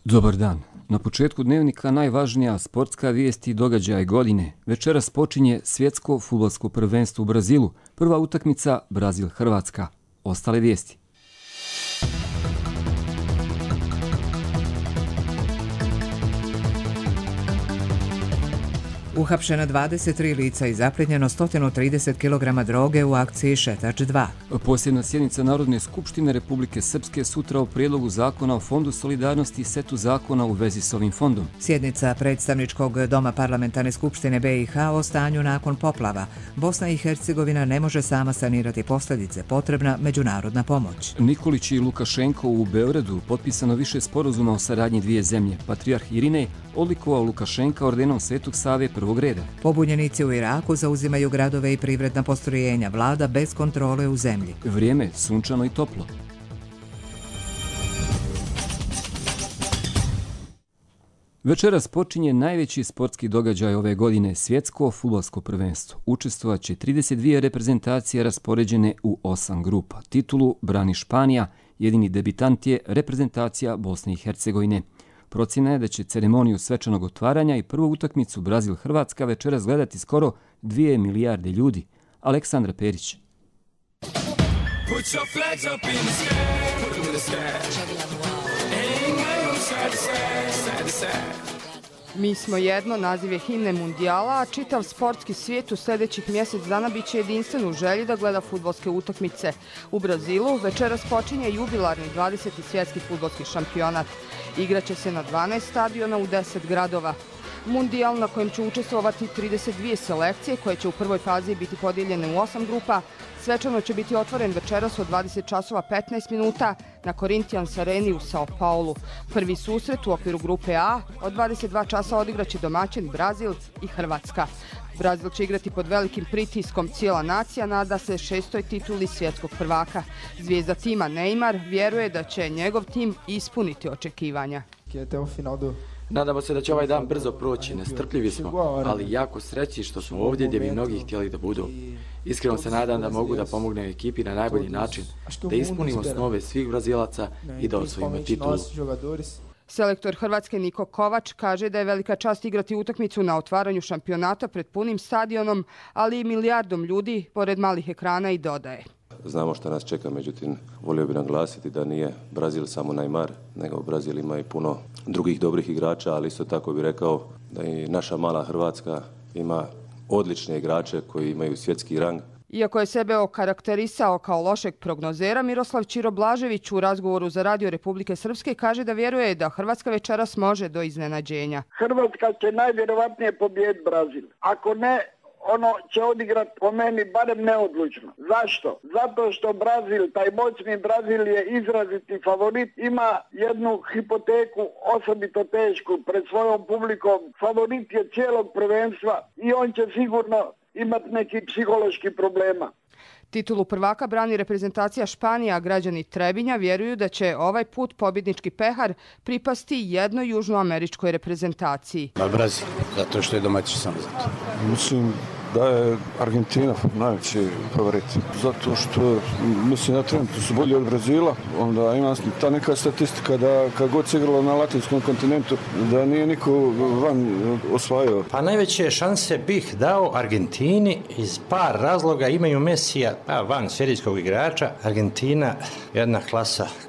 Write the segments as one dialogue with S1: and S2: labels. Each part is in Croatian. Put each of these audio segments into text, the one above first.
S1: Dobar dan. Na početku dnevnika najvažnija sportska vijest i događaj godine. Večeras počinje svjetsko fudbalsko prvenstvo u Brazilu. Prva utakmica Brazil-Hrvatska. Ostale vijesti.
S2: Uhapšeno 23 lica i zapljenjeno 130 kg droge u akciji Šetač 2.
S1: Posljedna sjednica Narodne skupštine Republike Srpske sutra o prijedlogu zakona o Fondu solidarnosti i setu zakona u vezi s ovim fondom.
S2: Sjednica predstavničkog doma parlamentarne skupštine BiH o stanju nakon poplava. Bosna i Hercegovina ne može sama sanirati posljedice, potrebna međunarodna pomoć.
S1: Nikolić i Lukašenko u Beogradu potpisano više sporazuma o saradnji dvije zemlje. Patrijarh Irinej odlikovao Lukašenka ordenom Svetog Save prvog reda.
S2: Pobunjenici u Iraku zauzimaju gradove i privredna postrojenja, vlada bez kontrole u zemlji.
S1: Vrijeme sunčano i toplo. Večeras počinje najveći sportski događaj ove godine, svjetsko fudbalsko prvenstvo. Učestvovaće 32 reprezentacije raspoređene u 8 grupa. Titulu brani Španija, jedini debitant je reprezentacija Bosne i Hercegovine. Procjena je da će ceremoniju svečanog otvaranja i prvu utakmicu Brazil-Hrvatska večeras gledati skoro 2 milijarde ljudi. Aleksandra Perić.
S3: Mi smo jedno, naziv je himne mundijala, a čitav sportski svijet u sljedećih mjesec dana bit će jedinstven u želji da gleda fudbalske utakmice. U Brazilu večeras počinje jubilarni 20. svjetski fudbalski šampionat. Igraće se na 12 stadiona u 10 gradova. Mundijal na kojem će učestvovati 32 selekcije koje će u prvoj fazi biti podijeljene u 8 grupa, svečano će biti otvoren večeras od 20 časova 15 minuta na Corinthians Areni u Sao Paulu. Prvi susret u okviru grupe A od 22 časa odigraće domaćin Brazil i Hrvatska. Brazil će igrati pod velikim pritiskom, cijela nacija nada se 6. tituli svjetskog prvaka. Zvijezda tima Neymar vjeruje da će njegov tim ispuniti očekivanja.
S4: Nadamo se da će ovaj dan brzo proći, nestrpljivi smo, ali jako srećni što smo ovdje gdje bi mnogi htjeli da budu. Iskreno se nadam da mogu da pomognem ekipi na najbolji način, da ispunimo snove svih Brazilaca i da osvojimo titulu.
S3: Selektor Hrvatske Niko Kovač kaže da je velika čast igrati utakmicu na otvaranju šampionata pred punim stadionom, ali i milijardom ljudi pored malih ekrana i dodaje.
S5: Znamo što nas čeka, međutim, volio bih naglasiti da nije Brazil samo Neymar, nego Brazil ima i puno drugih dobrih igrača, ali isto tako bih rekao da i naša mala Hrvatska ima odlične igrače koji imaju svjetski rang.
S3: Iako je sebe okarakterisao kao lošeg prognozera, Miroslav Ćiro Blažević u razgovoru za Radio Republike Srpske kaže da vjeruje da Hrvatska večeras može do iznenađenja.
S6: Hrvatska će najvjerovatnije pobijediti Brazil. Ako ne, ono će odigrati po meni barem neodlučno. Zašto? Zato što Brazil, taj moćni Brazil je izraziti favorit, ima jednu hipoteku osobito tešku pred svojom publikom. Favorit je cijelog prvenstva i on će sigurno imati neki psihološki problema.
S3: Titulu prvaka brani reprezentacija Španija, a građani Trebinja vjeruju da će ovaj put pobjednički pehar pripasti jednoj južnoameričkoj reprezentaciji.
S7: Brazil, zato što je domaći samo zato.
S8: Mislim da je Argentina najveći favorit. Zato što, mislim, na trenutno su bolji od Brazila. Onda ima ta neka statistika da kad god se igralo na latinskom kontinentu, da nije niko van osvajao.
S9: Pa najveće šanse bih dao Argentini iz par razloga. Imaju Mesija, van serijskog igrača. Argentina, jedna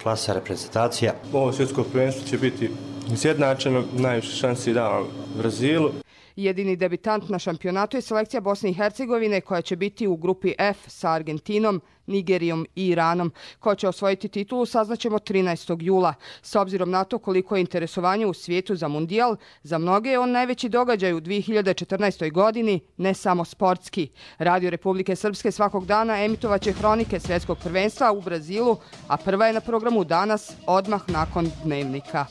S9: klasa reprezentacija.
S10: Ovo svjetsko prvenstvo će biti izjednačeno, najviše šansi dao Brazilu.
S3: Jedini debitant na šampionatu je selekcija Bosne i Hercegovine koja će biti u grupi F sa Argentinom, Nigerijom i Iranom. Ko će osvojiti titulu saznaćemo 13. jula. S obzirom na to koliko je interesovanje u svijetu za mundijal, za mnoge je on najveći događaj u 2014. godini, ne samo sportski. Radio Republike Srpske svakog dana emitovaće hronike svjetskog prvenstva u Brazilu, a prva je na programu danas, odmah nakon dnevnika.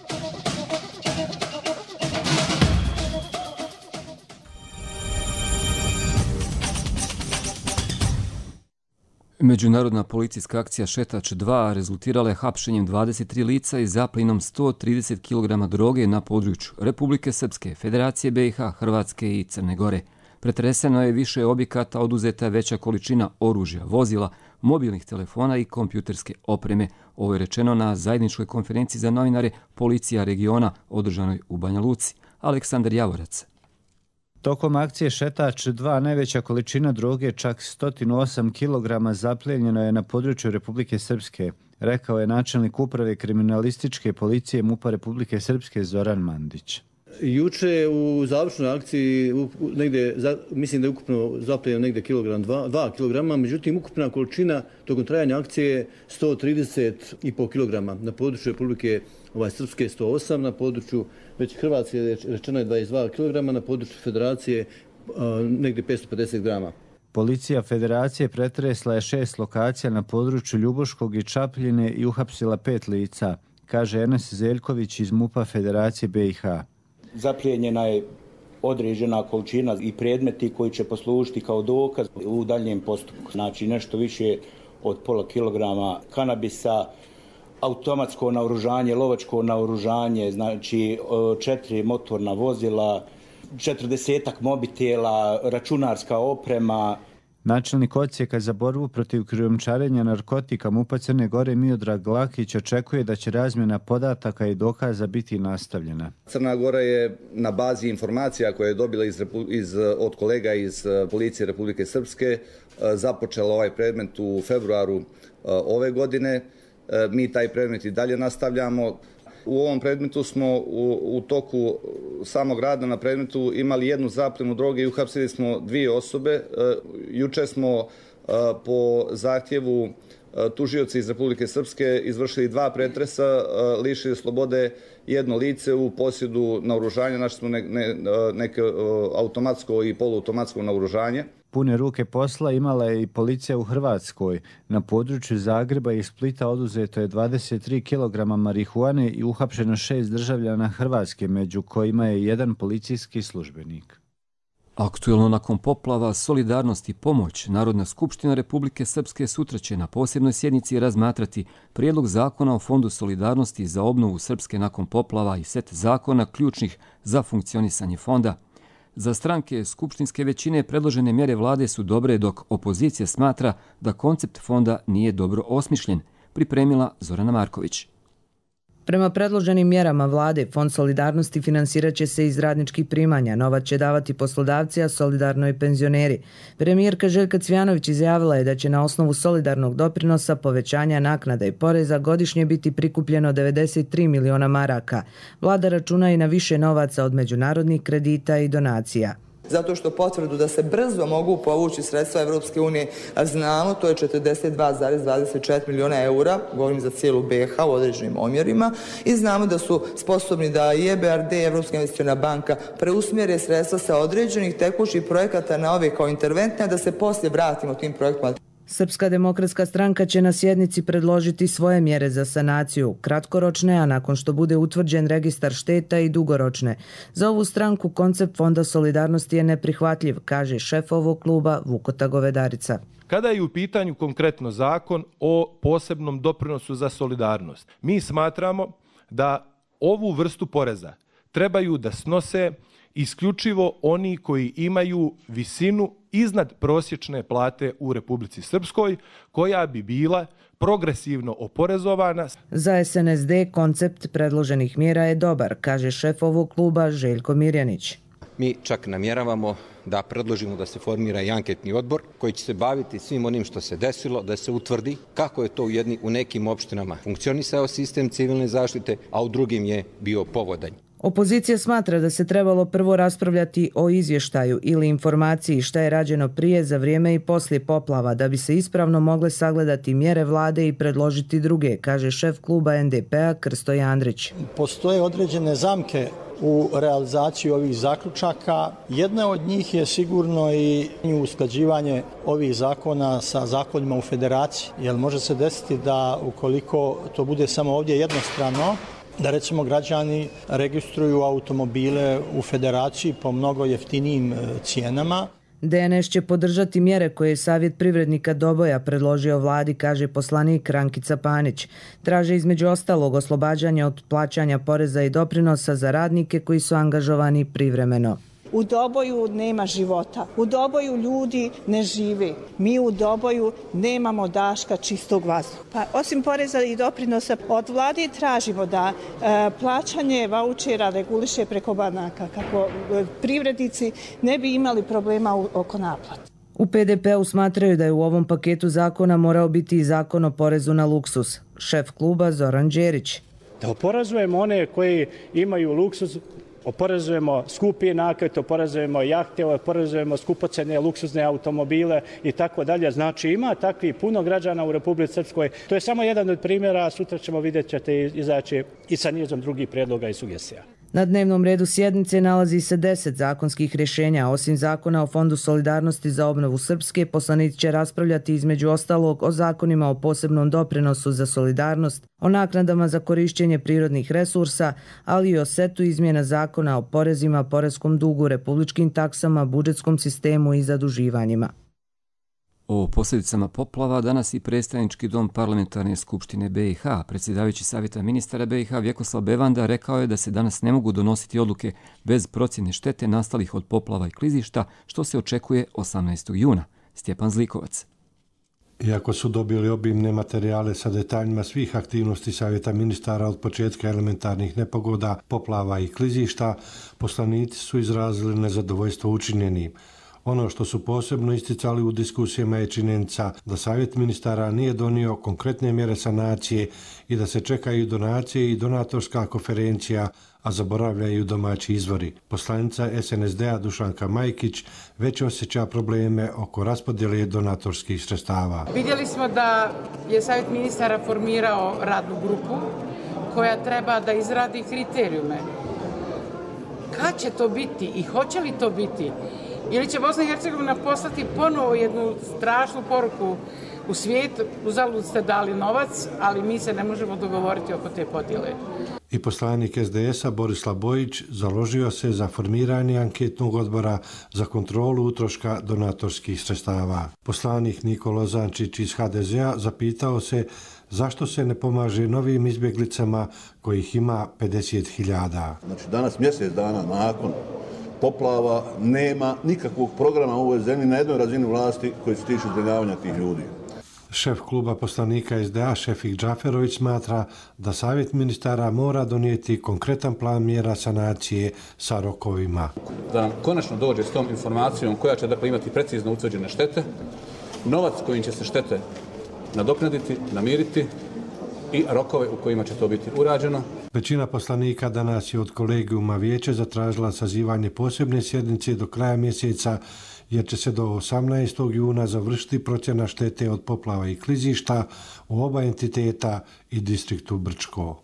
S1: Međunarodna policijska akcija Šetač 2 rezultirala je hapšenjem 23 lica i zapljenom 130 kg droge na području Republike Srpske, Federacije BiH, Hrvatske i Crne Gore. Pretreseno je više objekata, oduzeta je veća količina oružja, vozila, mobilnih telefona i kompjuterske opreme. Ovo je rečeno na zajedničkoj konferenciji za novinare Policija regiona održanoj u Banja Luci. Aleksandar Javorac.
S11: Tokom akcije Šetač 2 najveća količina droge, čak 108 kg, zaplijenjeno je na području Republike Srpske, rekao je načelnik uprave kriminalističke policije MUP-a Republike Srpske Zoran Mandić.
S12: Juče u završnoj akciji mislim da je ukupno zaplijenjeno negdje 2 kg, međutim ukupna količina tokom trajanja akcije je 130,5 kg. Na području Republike Srpske 108, na području već Hrvatske rečeno je 22 kg, na području Federacije negdje 550 grama.
S11: Policija Federacije pretresla je 6 lokacija na području Ljubuškog i Čapljine i uhapsila 5 lica, kaže Enes Zeljković iz MUP-a Federacije BiH.
S13: Zaplijenjena je određena količina i predmeti koji će poslužiti kao dokaz u daljem postupku. Znači nešto više od pola kilograma kanabisa, automatsko naoružanje, lovačko naoružanje, znači 4 motorna vozila, 40-ak mobitela, računarska oprema.
S11: Načelnik odsjeka za borbu protiv krijumčarenja narkotika MUP-a Crne Gore Miodrag Lakić očekuje da će razmjena podataka i dokaza biti nastavljena.
S14: Crna Gora je na bazi informacija koje je dobila od kolega iz Policije Republike Srpske započela ovaj predmet u februaru ove godine. Mi taj predmet i dalje nastavljamo. U ovom predmetu smo u toku samog rada na predmetu imali jednu zapljenu droge i uhapsili smo 2 osobe. Juče smo po zahtjevu tužioca iz Republike Srpske izvršili 2 pretresa, lišili slobode 1 lice u posjedu naoružanja, našli smo neke automatsko i poluautomatsko naoružanje.
S11: Pune ruke posla imala je i policija u Hrvatskoj. Na području Zagreba i Splita oduzeto je 23 kg marihuane i uhapšeno 6 državljana Hrvatske, među kojima je 1 policijski službenik.
S1: Aktuelno nakon poplava, solidarnost i pomoć, Narodna skupština Republike Srpske sutra će na posebnoj sjednici razmatrati prijedlog zakona o Fondu solidarnosti za obnovu Srpske nakon poplava i set zakona ključnih za funkcionisanje fonda. Za stranke skupštinske većine predložene mjere vlade su dobre, dok opozicija smatra da koncept fonda nije dobro osmišljen, pripremila Zorana Marković.
S15: Prema predloženim mjerama vlade, Fond solidarnosti finansirat će se iz radničkih primanja, novac će davati poslodavci, a solidarno i penzioneri. Premijerka Željka Cvjanović izjavila je da će na osnovu solidarnog doprinosa, povećanja naknada i poreza godišnje biti prikupljeno 93 miliona maraka. Vlada računa i na više novaca od međunarodnih kredita i donacija.
S16: Zato što potvrdu da se brzo mogu povući sredstva Evropske unije, a znamo, to je 42,24 miliona eura, govorim za cijelu BiH u određenim omjerima, i znamo da su sposobni da i EBRD, Evropska investiciona banka, preusmjere sredstva sa određenih tekućih projekata na ove kao interventne, a da se poslije vratimo tim projektima.
S15: Srpska demokratska stranka će na sjednici predložiti svoje mjere za sanaciju, kratkoročne, a nakon što bude utvrđen registar šteta i dugoročne. Za ovu stranku koncept Fonda solidarnosti je neprihvatljiv, kaže šef ovog kluba Vukota Govedarica.
S17: Kada je u pitanju konkretno zakon o posebnom doprinosu za solidarnost, mi smatramo da ovu vrstu poreza trebaju da snose isključivo oni koji imaju visinu iznad prosječne plate u Republici Srpskoj, koja bi bila progresivno oporezovana.
S15: Za SNSD koncept predloženih mjera je dobar, kaže šef ovog kluba Željko Mirjanić.
S18: Mi čak namjeravamo da predložimo da se formira i anketni odbor koji će se baviti svim onim što se desilo, da se utvrdi kako je to u nekim opštinama funkcionisao sistem civilne zaštite, a u drugim je bio povodanj.
S15: Opozicija smatra da se trebalo prvo raspravljati o izvještaju ili informaciji šta je rađeno prije, za vrijeme i poslije poplava, da bi se ispravno mogle sagledati mjere vlade i predložiti druge, kaže šef kluba NDP-a Krsto Jandrić.
S19: Postoje određene zamke u realizaciji ovih zaključaka. Jedna od njih je sigurno i usklađivanje ovih zakona sa zakonima u federaciji, jer može se desiti da ukoliko to bude samo ovdje jednostrano, da recimo građani registruju automobile u federaciji po mnogo jeftinijim cijenama.
S15: DNS će podržati mjere koje je Savjet privrednika Doboja predložio vladi, kaže poslanik Rankica Panić. Traže između ostalog oslobađanje od plaćanja poreza i doprinosa za radnike koji su angažovani privremeno.
S20: U Doboju nema života. U Doboju ljudi ne žive. Mi u Doboju nemamo daška čistog vazduha. Pa osim poreza i doprinosa od vlade tražimo da plaćanje vaučera reguliše preko banaka kako privrednici ne bi imali problema oko naplate.
S15: U PDP-u smatraju da je u ovom paketu zakona morao biti i zakon o porezu na luksuz. Šef kluba Zoran Đerić.
S21: Da oporezujemo one koji imaju luksuz, oporezujemo skupi nakit, oporezujemo jahte, oporezujemo skupocene luksuzne automobile i tako dalje. Znači ima takvi puno građana u Republici Srpskoj. To je samo jedan od primjera, a sutra ćemo vidjet ćete izaći i sa nizom drugih prijedloga i sugestija.
S15: Na dnevnom redu sjednice nalazi se 10 zakonskih rješenja. Osim zakona o Fondu solidarnosti za obnovu Srpske, poslanici će raspravljati između ostalog o zakonima o posebnom doprinosu za solidarnost, o naknadama za korišćenje prirodnih resursa, ali i o setu izmjena zakona o porezima, poreskom dugu, republičkim taksama, budžetskom sistemu i zaduživanjima.
S1: O posljedicama poplava danas i predstavnički dom Parlamentarne skupštine BiH. Predsjedavajući savjeta ministara BiH Vjekoslav Bevanda rekao je da se danas ne mogu donositi odluke bez procjene štete nastalih od poplava i klizišta, što se očekuje 18. juna. Stjepan Zlikovac.
S22: Iako su dobili obimne materijale sa detaljima svih aktivnosti savjeta ministara od početka elementarnih nepogoda, poplava i klizišta, poslanici su izrazili nezadovoljstvo učinjenim. Ono što su posebno isticali u diskusijama je činjenica da savjet ministara nije donio konkretne mjere sanacije i da se čekaju donacije i donatorska konferencija, a zaboravljaju domaći izvori. Poslanica SNSD-a Dušanka Majkić već osjeća probleme oko raspodjele donatorskih sredstava.
S23: Vidjeli smo da je savjet ministara formirao radnu grupu koja treba da izradi kriterijume. Kad će to biti i hoće li to biti? Ili će Bosna i Hercegovina poslati ponovo jednu strašnu poruku u svijet, uzalud ste dali novac, ali mi se ne možemo dogovoriti oko te podjele.
S22: I poslanik SDS-a Borislav Bojić založio se za formiranje anketnog odbora za kontrolu utroška donatorskih sredstava. Poslanik Nikola Zančić iz HDZ-a zapitao se zašto se ne pomaže novim izbjeglicama kojih ima 50.000.
S24: Znači danas mjesec dana nakon poplava nema nikakvog programa u ovoj zemlji na jednoj razini vlasti koji se tiču zbrinjavanja tih ljudi.
S22: Šef kluba poslanika SDA Šefik Džaferović smatra da savjet ministara mora donijeti konkretan plan mjera sanacije sa rokovima.
S25: Da nam konačno dođe s tom informacijom koja će dakle imati precizno utvrđene štete, novac kojim će se štete nadoknaditi, namiriti i rokove u kojima će to biti urađeno.
S22: Većina poslanika danas je od kolegijuma vijeća zatražila sazivanje posebne sjednice do kraja mjeseca, jer će se do 18. juna završiti procjena štete od poplava i klizišta u oba entiteta i distriktu Brčko.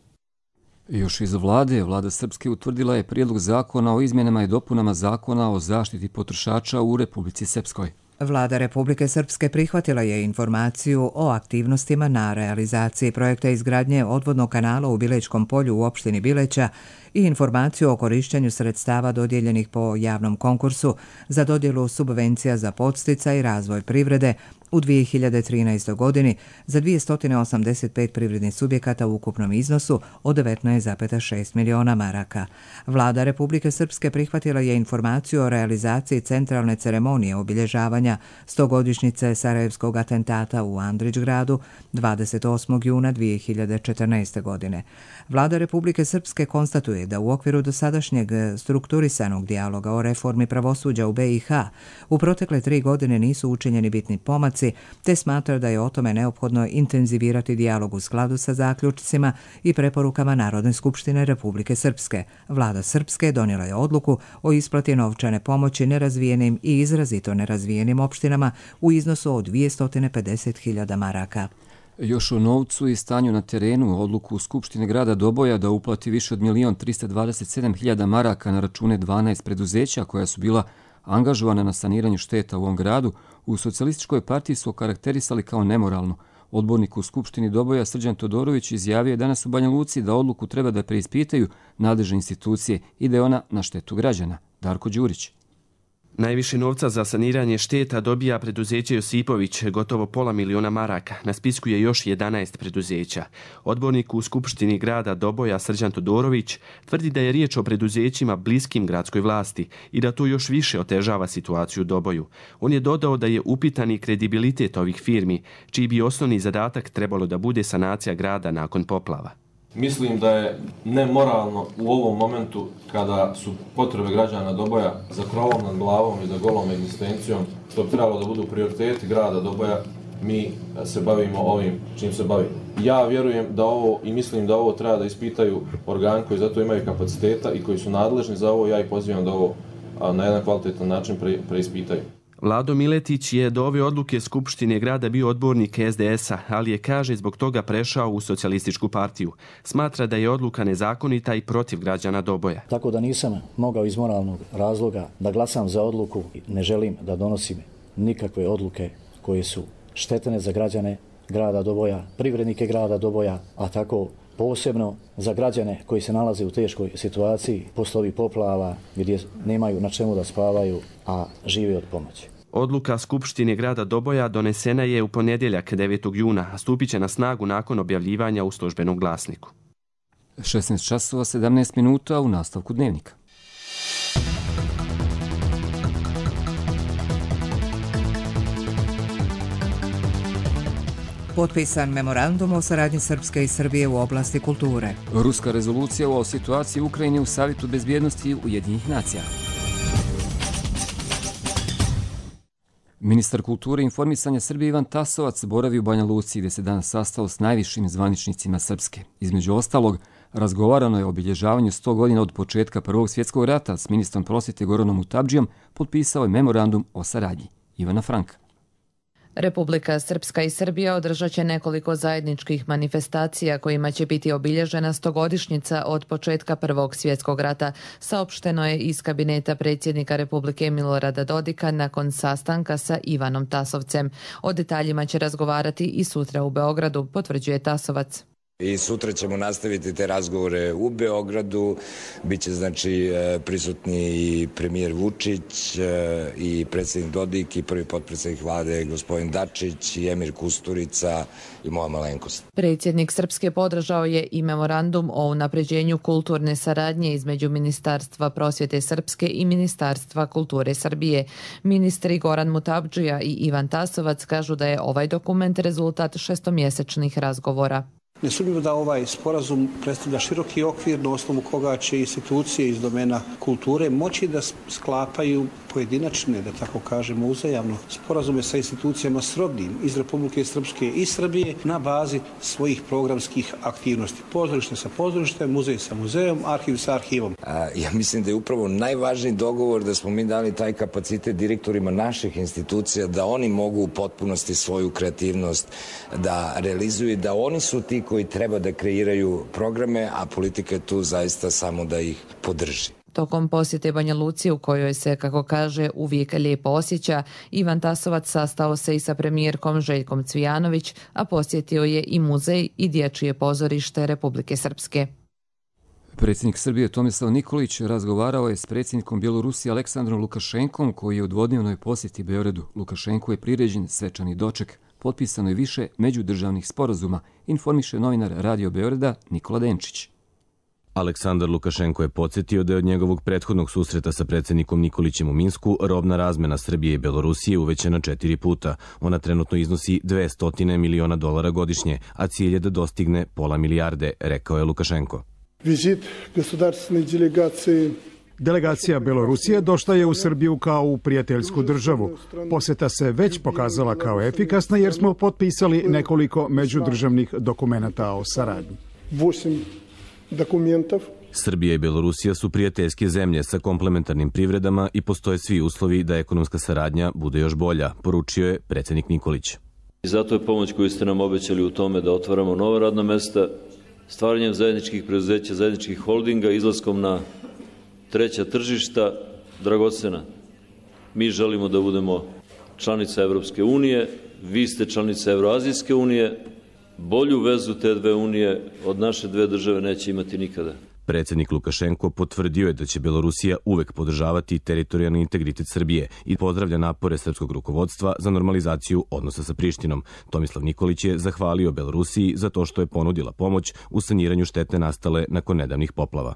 S1: Još iz Vlada Srpske utvrdila je prijedlog zakona o izmjenama i dopunama zakona o zaštiti potrošača u Republici Srpskoj.
S2: Vlada Republike Srpske prihvatila je informaciju o aktivnostima na realizaciji projekta izgradnje odvodnog kanala u Bilečkom polju u opštini Bileća i informaciju o korištenju sredstava dodijeljenih po javnom konkursu za dodjelu subvencija za podsticaj i razvoj privrede u 2013. godini za 285 privrednih subjekata u ukupnom iznosu od 19,6 miliona maraka. Vlada Republike Srpske prihvatila je informaciju o realizaciji centralne ceremonije obilježavanja 100-godišnjice Sarajevskog atentata u Andrićgradu 28. juna 2014. godine. Vlada Republike Srpske konstatuje da u okviru dosadašnjeg strukturisanog dijaloga o reformi pravosuđa u BiH u protekle 3 godine nisu učinjeni bitni pomaci, te smatra da je o tome neophodno intenzivirati dijalog u skladu sa zaključcima i preporukama Narodne skupštine Republike Srpske. Vlada Srpske donijela je odluku o isplati novčane pomoći nerazvijenim i izrazito nerazvijenim opštinama u iznosu od 250.000 maraka.
S1: Još o novcu i stanju na terenu, odluku Skupštine grada Doboja da uplati više od 1.327.000 maraka na račune 12 preduzeća koja su bila angažovana na saniranju šteta u ovom gradu, u Socijalističkoj partiji su okarakterisali kao nemoralno. Odbornik u Skupštini Doboja Srđan Todorović izjavio je danas u Banja Luci da odluku treba da preispitaju nadležne institucije i da je ona na štetu građana. Darko Đurić.
S4: Najviše novca za saniranje šteta dobija preduzeće Josipović, gotovo $500.000 maraka. Na spisku je još 11 preduzeća. Odbornik u Skupštini grada Doboja Srđan Todorović tvrdi da je riječ o preduzećima bliskim gradskoj vlasti i da to još više otežava situaciju u Doboju. On je dodao da je upitan i kredibilitet ovih firmi, čiji bi osnovni zadatak trebalo da bude sanacija grada nakon poplava.
S5: Mislim da je nemoralno u ovom momentu kada su potrebe građana Doboja za krovom nad glavom i za golom egzistencijom, što bi trebalo da budu prioriteti grada Doboja, mi se bavimo ovim čim se bavimo. Ja vjerujem da ovo i mislim da ovo treba da ispitaju organi koji za to imaju kapaciteta i koji su nadležni za ovo. Ja ih pozivam da ovo na jedan kvalitetan način preispitaju.
S4: Vlado Miletić je do ove odluke Skupštine grada bio odbornik SDS-a, ali je, kaže, zbog toga prešao u Socijalističku partiju. Smatra da je odluka nezakonita i protiv građana Doboja.
S6: Tako da nisam mogao iz moralnog razloga da glasam za odluku. Ne želim da donosim nikakve odluke koje su štetne za građane grada Doboja, privrednike grada Doboja, a tako posebno za građane koji se nalaze u teškoj situaciji posle ovih poplava gdje nemaju na čemu da spavaju, a žive od pomoći.
S4: Odluka Skupštine grada Doboja donesena je u ponedjeljak 9. juna, a stupit će na snagu nakon objavljivanja u službenom glasniku.
S1: 16 časova 17 minuta u nastavku dnevnika.
S2: Potpisan memorandum o saradnji Srpske i Srbije u oblasti kulture.
S1: Ruska rezolucija o situaciji u Ukrajini u Savjetu bezbjednosti Ujedinjenih nacija. Ministar kulture i informisanja Srbije Ivan Tasovac boravi u Banja Luci gdje se danas sastao s najvišim zvaničnicima Srpske. Između ostalog, razgovarano je o obilježavanju 100 godina od početka Prvog svjetskog rata. S ministrom prosvjete Goranom Mutabdžijom potpisao je memorandum o saradnji. Ivana Franka.
S15: Republika Srpska i Srbija održat će nekoliko zajedničkih manifestacija kojima će biti obilježena 100-godišnjica od početka Prvog svjetskog rata, saopšteno je iz kabineta predsjednika Republike Milorada Dodika nakon sastanka sa Ivanom Tasovcem. O detaljima će razgovarati i sutra u Beogradu, potvrđuje Tasovac.
S7: I sutra ćemo nastaviti te razgovore u Beogradu. Biće znači prisutni i premijer Vučić i predsjednik Dodik i prvi potpredsjednik vlade gospodin Dačić i emir Kusturica i moja malenkost.
S15: Predsjednik Srpske podržao je i memorandum o unapređenju kulturne saradnje između Ministarstva prosvjete Srpske i Ministarstva kulture Srbije. Ministri Goran Mutabdžija i Ivan Tasovac kažu da je ovaj dokument rezultat šestomjesečnih razgovora.
S8: Nesumnjivo da ovaj sporazum predstavlja široki okvir na osnovu koga će institucije iz domena kulture moći da sklapaju pojedinačne, da tako kažemo, uzajamno sporazume sa institucijama srodnim iz Republike Srpske i Srbije na bazi svojih programskih aktivnosti. Pozorište sa pozorištem, muzej sa muzejom, arhiv sa arhivom.
S7: Ja mislim da je upravo najvažniji dogovor da smo mi dali taj kapacitet direktorima naših institucija da oni mogu u potpunosti svoju kreativnost da realizuju, da oni su ti koji treba da kreiraju programe, a politika je tu zaista samo da ih podrži.
S15: Tokom posjete Banja Luci, u kojoj se, kako kaže, uvijek lijepo osjeća, Ivan Tasovac sastao se i sa premijerkom Željkom Cvijanović, a posjetio je i muzej i dječje pozorište Republike Srpske.
S1: Predsjednik Srbije Tomislav Nikolić razgovarao je s predsjednikom Bjelorusije Aleksandrom Lukašenkom, koji je u dvodnevnoj posjeti Beogradu. Lukašenku je priređen svečani doček. Potpisano je više međudržavnih sporazuma, informiše novinar Radio Beograda Nikola Denčić.
S26: Aleksandar Lukašenko je podsjetio da je od njegovog prethodnog susreta sa predsjednikom Nikolićem u Minsku robna razmena Srbije i Belorusije uvećana 4 puta. Ona trenutno iznosi $200 miliona godišnje, a cilj je da dostigne $500 milijarde, rekao je Lukašenko.
S27: Vizit государственной делегации. Delegacija Belorusije došla je u Srbiju kao u prijateljsku državu. Posjeta se već pokazala kao efikasna jer smo potpisali nekoliko međudržavnih dokumenata o saradnji. 8 dokumentov.
S26: Srbija i Belorusija su prijateljske zemlje sa komplementarnim privredama i postoje svi uslovi da ekonomska saradnja bude još bolja, poručio je predsjednik Nikolić.
S28: I zato je pomoć koju ste nam obećali u tome da otvaramo nova radna mesta, stvaranjem zajedničkih preduzeća, zajedničkih holdinga, izlaskom na treća tržišta, dragocena. Mi želimo da budemo članica Evropske unije, vi ste članica Evroazijske unije, bolju vezu te dve unije od naše dve države neće imati nikada.
S26: Predsjednik Lukašenko potvrdio je da će Belorusija uvek podržavati teritorijalni integritet Srbije i pozdravlja napore srpskog rukovodstva za normalizaciju odnosa sa Prištinom. Tomislav Nikolić je zahvalio Belorusiji za to što je ponudila pomoć u saniranju štete nastale nakon nedavnih poplava.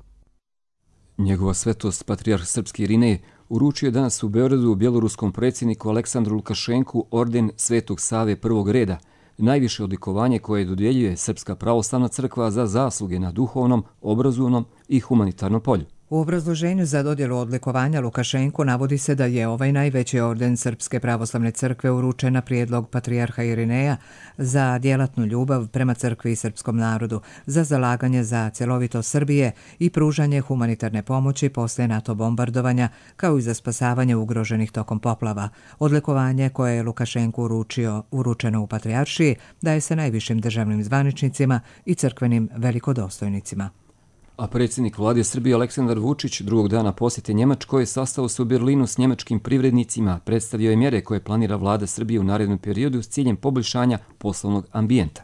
S1: Njegova svetost, patrijarh srpski Irinej, uručio je danas u Beogradu bjeloruskom predsjedniku Aleksandru Lukašenku orden Svetog Save prvog reda, najviše odlikovanje koje dodjeljuje Srpska pravoslavna crkva za zasluge na duhovnom, obrazovnom i humanitarnom polju.
S2: U obrazloženju za dodjelu odlikovanja Lukašenku navodi se da je ovaj najveći orden Srpske pravoslavne crkve uručen na prijedlog patrijarha Irineja za djelatnu ljubav prema crkvi i srpskom narodu, za zalaganje za cjelovitost Srbije i pružanje humanitarne pomoći poslije NATO bombardovanja, kao i za spasavanje ugroženih tokom poplava. Odlikovanje koje je Lukašenku uručeno u patrijaršiji daje se najvišim državnim zvaničnicima i crkvenim velikodostojnicima.
S1: A predsjednik vlade Srbije Aleksandar Vučić drugog dana posjete Njemačkoj sastao se u Berlinu s njemačkim privrednicima, predstavio je mjere koje planira vlada Srbije u narednom periodu s ciljem poboljšanja poslovnog ambijenta.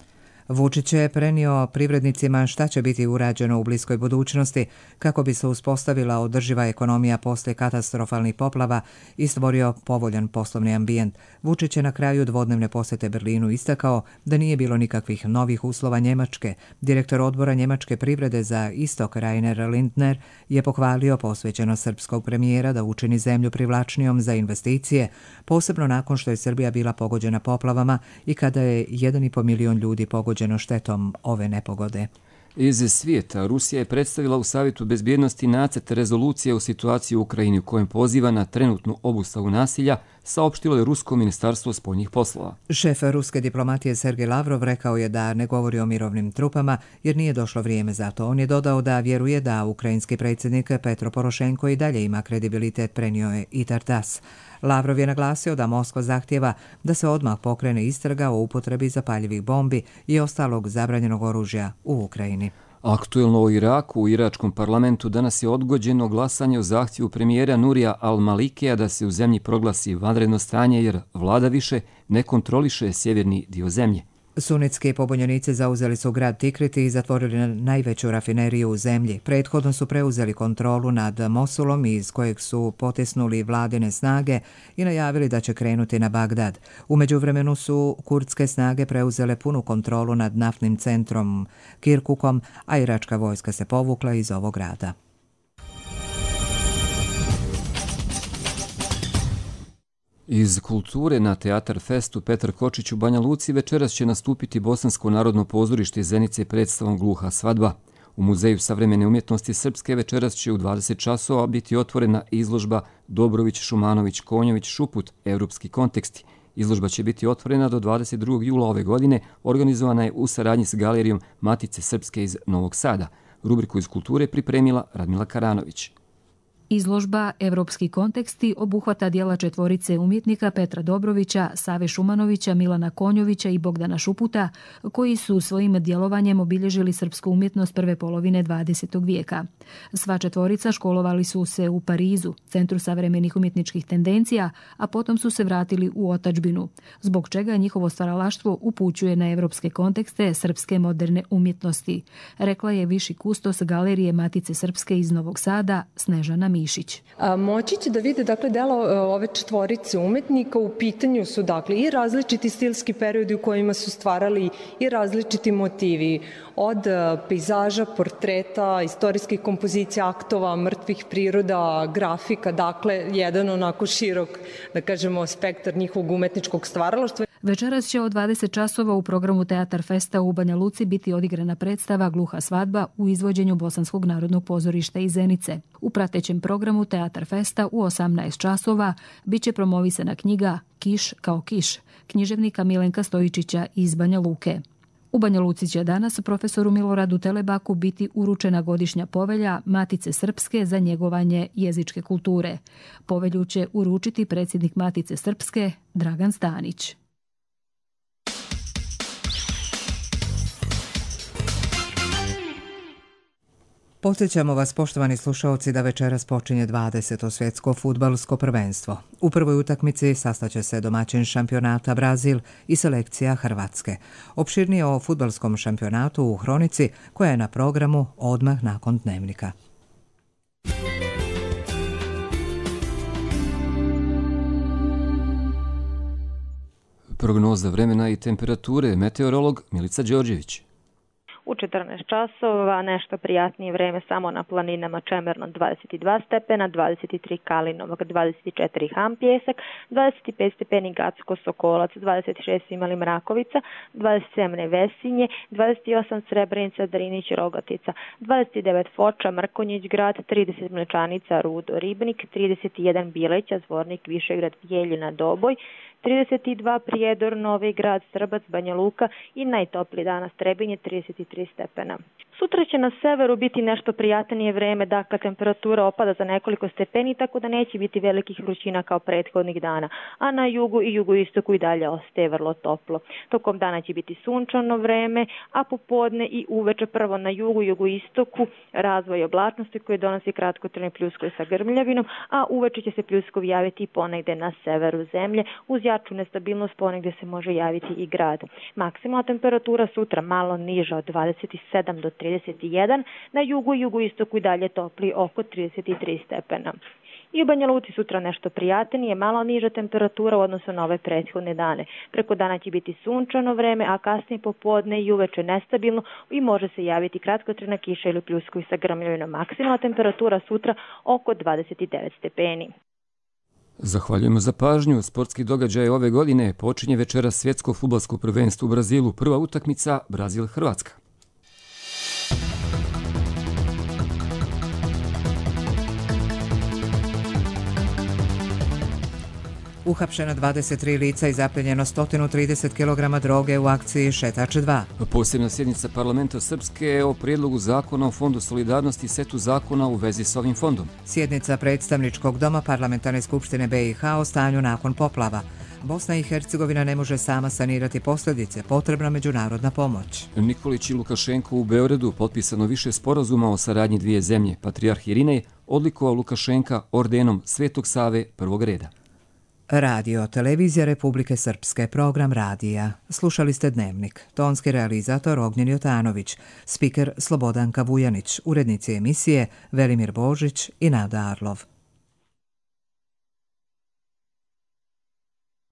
S2: Vučić je prenio privrednicima šta će biti urađeno u bliskoj budućnosti kako bi se uspostavila održiva ekonomija poslije katastrofalnih poplava i stvorio povoljan poslovni ambijent. Vučić je na kraju dvodnevne posjete Berlinu istakao da nije bilo nikakvih novih uslova Njemačke. Direktor odbora njemačke privrede za istok Rainer Lindner je pohvalio posvećenost srpskog premijera da učini zemlju privlačnijom za investicije, posebno nakon što je Srbija bila pogođena poplavama i kada je 1,5 milion ljudi pogođeno štetom ove nepogode.
S1: Iz svijeta Rusija je predstavila u Savjetu bezbjednosti nacrt rezolucije o situaciji u Ukrajini u kojem poziva na trenutnu obustavu nasilja, saopštilo je Rusko ministarstvo spoljnih poslova.
S2: Šef ruske diplomatije Sergej Lavrov rekao je da ne govori o mirovnim trupama jer nije došlo vrijeme za to. On je dodao da vjeruje da ukrajinski predsjednik Petro Porošenko i dalje ima kredibilitet, prenio je i TASS. Lavrov je naglasio da Moskva zahtjeva da se odmah pokrene istraga o upotrebi zapaljivih bombi i ostalog zabranjenog oružja u Ukrajini.
S1: Aktuelno u Iraku, u iračkom parlamentu danas je odgođeno glasanje o zahtjevu premijera Nurija al-Malikija da se u zemlji proglasi vanredno stanje jer vlada više ne kontroliše sjeverni dio zemlje.
S2: Sunitski pobunjenici zauzeli su grad Tikrit i zatvorili najveću rafineriju u zemlji. Prethodno su preuzeli kontrolu nad Mosulom iz kojeg su potisnuli vladine snage i najavili da će krenuti na Bagdad. U međuvremenu su kurdske snage preuzele punu kontrolu nad naftnim centrom Kirkukom, a iračka vojska se povukla iz ovog grada.
S1: Iz kulture na Teatar Festu Petar Kočić u Banja Luci večeras će nastupiti Bosansko narodno pozorište Zenice predstavom Gluha svadba. U Muzeju savremene umjetnosti Srpske večeras će u 20 časova biti otvorena izložba Dobrović, Šumanović, Konjović, Šuput, Evropski konteksti. Izložba će biti otvorena do 22. jula ove godine, organizovana je u saradnji s Galerijom Matice Srpske iz Novog Sada. Rubriku iz kulture pripremila Radmila Karanović.
S3: Izložba Evropski konteksti obuhvata dijela četvorice umjetnika Petra Dobrovića, Save Šumanovića, Milana Konjovića i Bogdana Šuputa, koji su svojim djelovanjem obilježili srpsku umjetnost prve polovine 20. vijeka. Sva četvorica školovali su se u Parizu, centru savremenih umjetničkih tendencija, a potom su se vratili u otadžbinu, zbog čega njihovo stvaralaštvo upućuje na evropske kontekste srpske moderne umjetnosti, rekla je viši kustos Galerije Matice Srpske iz Novog Sada, Snežana Mišić.
S9: Moći će da vide delo ove četvorice umetnika. U pitanju su i različiti stilski periodi u kojima su stvarali i različiti motivi. Od pejzaža, portreta, istorijskih kompozicija, aktova, mrtvih priroda, grafika. Jedan onako širok, spektar njihovog umetničkog stvaralaštva.
S3: Večeras će od 20 časova u programu Teatar Festa u Banja Luci biti odigrana predstava Gluha svadba u izvođenju Bosanskog narodnog pozorišta iz Zenice. U pratećem programu Teatar Festa u 18 časova biće promovisana knjiga Kiš kao kiš, književnika Milenka Stojičića iz Banja Luke. U Banja Luci će danas profesoru Miloradu Telebaku biti uručena godišnja povelja Matice Srpske za njegovanje jezičke kulture. Povelju će uručiti predsjednik Matice Srpske Dragan Stanić.
S2: Podsjećamo vas, poštovani slušalci, da večeras počinje 20. svjetsko fudbalsko prvenstvo. U prvoj utakmici sastaće se domaćin šampionata Brazil i selekcija Hrvatske. Opširnije o fudbalskom šampionatu u Hronici, koja je na programu odmah nakon dnevnika.
S1: Prognoza vremena i temperature, meteorolog Milica Đorđević.
S10: U 14 časova nešto prijatnije vreme samo na planinama Čemerno 22 stepena, 23 Kalinovak, 24 Ham Pjesak, 25 stepeni Gacko Sokolac, 26 Imali Mrakovica, 27 Nevesinje, 28 Srebrenica, Drinić, Rogatica, 29 Foča, Mrkonjić grad, 30 Mlečanica, Rudo, Ribnik, 31 Bileća, Zvornik, Višegrad, Bijeljina, Doboj, 32 Prijedor, Novi grad, Srbac, Banja Luka i najtopliji danas Trebinje 33 stepena. Sutra će na severu biti nešto prijatnije vreme, dakle temperatura opada za nekoliko stepeni, tako da neće biti velikih vrućina kao prethodnih dana, a na jugu i jugoistoku i dalje ostaje vrlo toplo. Tokom dana će biti sunčano vreme, a popodne i uveče prvo na jugu i jugoistoku razvoj oblačnosti koji donosi kratkotrajne pljuskovi sa grmljavinom, a uveče će se pljuskovi javiti i ponegde na severu zemlje, uz jaču nestabilnost ponegde se može javiti i grad. Maksimalna temperatura sutra malo niža od 27 do 31, na jugu i jugoistoku i dalje topli oko 33 stepena. I u Banja Luci sutra nešto prijatnije, malo niža temperatura u odnosu na ove prethodne dane. Preko dana će biti sunčano vreme, a kasnije popodne i uveče nestabilno i može se javiti kratkotrajna kiša ili pljuskovi sa grmljavinom. Maksimalna temperatura sutra oko 29 stepeni.
S1: Zahvaljujemo za pažnju. Sportski događaj ove godine počinje večeras svjetsko fudbalsko prvenstvo u Brazilu. Prva utakmica Brazil-Hrvatska.
S2: Uhapšeno 23 lica i zapljenjeno 130 kg droge u akciji Šetač 2.
S1: Posebna sjednica parlamenta Srpske o prijedlogu zakona o Fondu solidarnosti i setu zakona u vezi s ovim fondom.
S2: Sjednica predstavničkog doma Parlamentarne skupštine BiH o stanju nakon poplava. Bosna i Hercegovina ne može sama sanirati posljedice, potrebna međunarodna pomoć.
S1: Nikolić i Lukašenko u Beogradu potpisano više sporazuma o saradnji dvije zemlje. Patrijarh Irinej odlikovao Lukašenka ordenom Svetog Save prvog reda.
S2: Radio, televizija Republike Srpske, program radija. Slušali ste Dnevnik. Tonski realizator Ognjen Jotanović, spiker Slobodanka Vujanić, urednici emisije Velimir Božić i Nada Arlov.